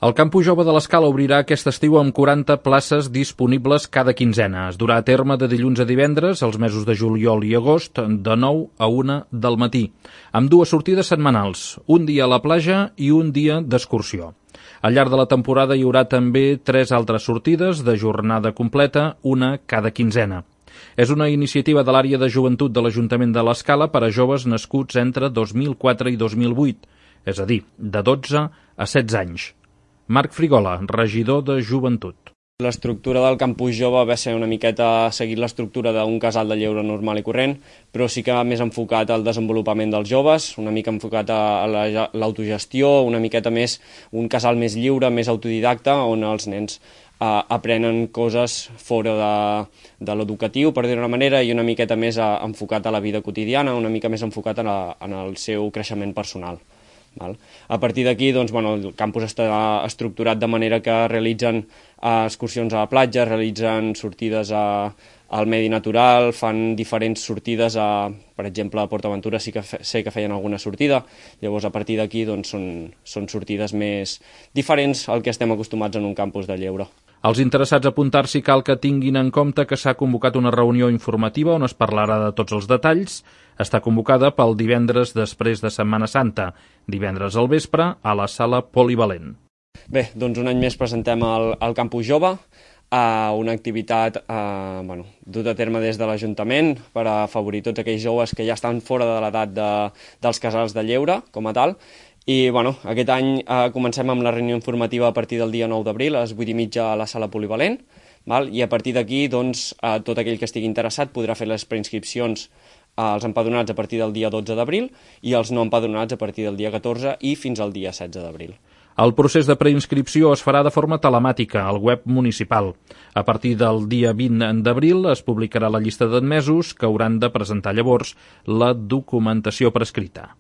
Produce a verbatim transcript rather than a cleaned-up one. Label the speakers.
Speaker 1: El Campus Jove de l'Escala obrirà aquest estiu amb quaranta places disponibles cada quinzena. Es durà a terme de dilluns a divendres, els mesos de juliol i agost, de nou a una del matí, amb dues sortides setmanals, un dia a la platja i un dia d'excursió. Al llarg de la temporada hi haurà també tres altres sortides de jornada completa, una cada quinzena. És una iniciativa de l'àrea de joventut de l'Ajuntament de l'Escala per a joves nascuts entre dos mil quatre i dos mil vuit, és a dir, de dotze a setze anys. Marc Frigola, regidor de Joventut.
Speaker 2: L'estructura del Campus Jove va ser una miqueta seguir l'estructura d'un casal de lleure normal i corrent, però sí que més enfocat al desenvolupament dels joves, una mica enfocat a l'autogestió, una miqueta més un casal més lliure, més autodidacta, on els nens eh, aprenen coses fora de, de l'educatiu, per dir-ho d'una manera, i una miqueta més a, enfocat a la vida quotidiana, una mica més enfocat en, a, en el seu creixement personal. Val? A partir d'aquí, doncs, bueno, el campus està estructurat de manera que realitzen uh, excursions a la platja, realitzen sortides a, al medi natural, fan diferents sortides, a, per exemple, a PortAventura sí que fe, sé que feien alguna sortida, llavors a partir d'aquí doncs, són, són sortides més diferents al que estem acostumats en un campus de lleure.
Speaker 1: Els interessats a apuntar-s'hi cal que tinguin en compte que s'ha convocat una reunió informativa on es parlarà de tots els detalls. Està convocada pel divendres després de Setmana Santa, divendres al vespre a la sala polivalent.
Speaker 2: Bé, doncs un any més presentem el, el Campus Jove, eh, una activitat eh, bueno, duta a terme des de l'Ajuntament per afavorir tots aquells joves que ja estan fora de l'edat de, dels casals de lleure, com a tal. I bueno, aquest any eh, comencem amb la reunió informativa a partir del dia nou d'abril, a les vuit i mitja a la sala polivalent, val? I a partir d'aquí doncs, eh, tot aquell que estigui interessat podrà fer les preinscripcions als empadronats a partir del dia dotze d'abril i els no empadronats a partir del dia catorze i fins al dia setze d'abril.
Speaker 1: El procés de preinscripció es farà de forma telemàtica al web municipal. A partir del dia vint d'abril es publicarà la llista d'admesos que hauran de presentar llavors la documentació prescrita.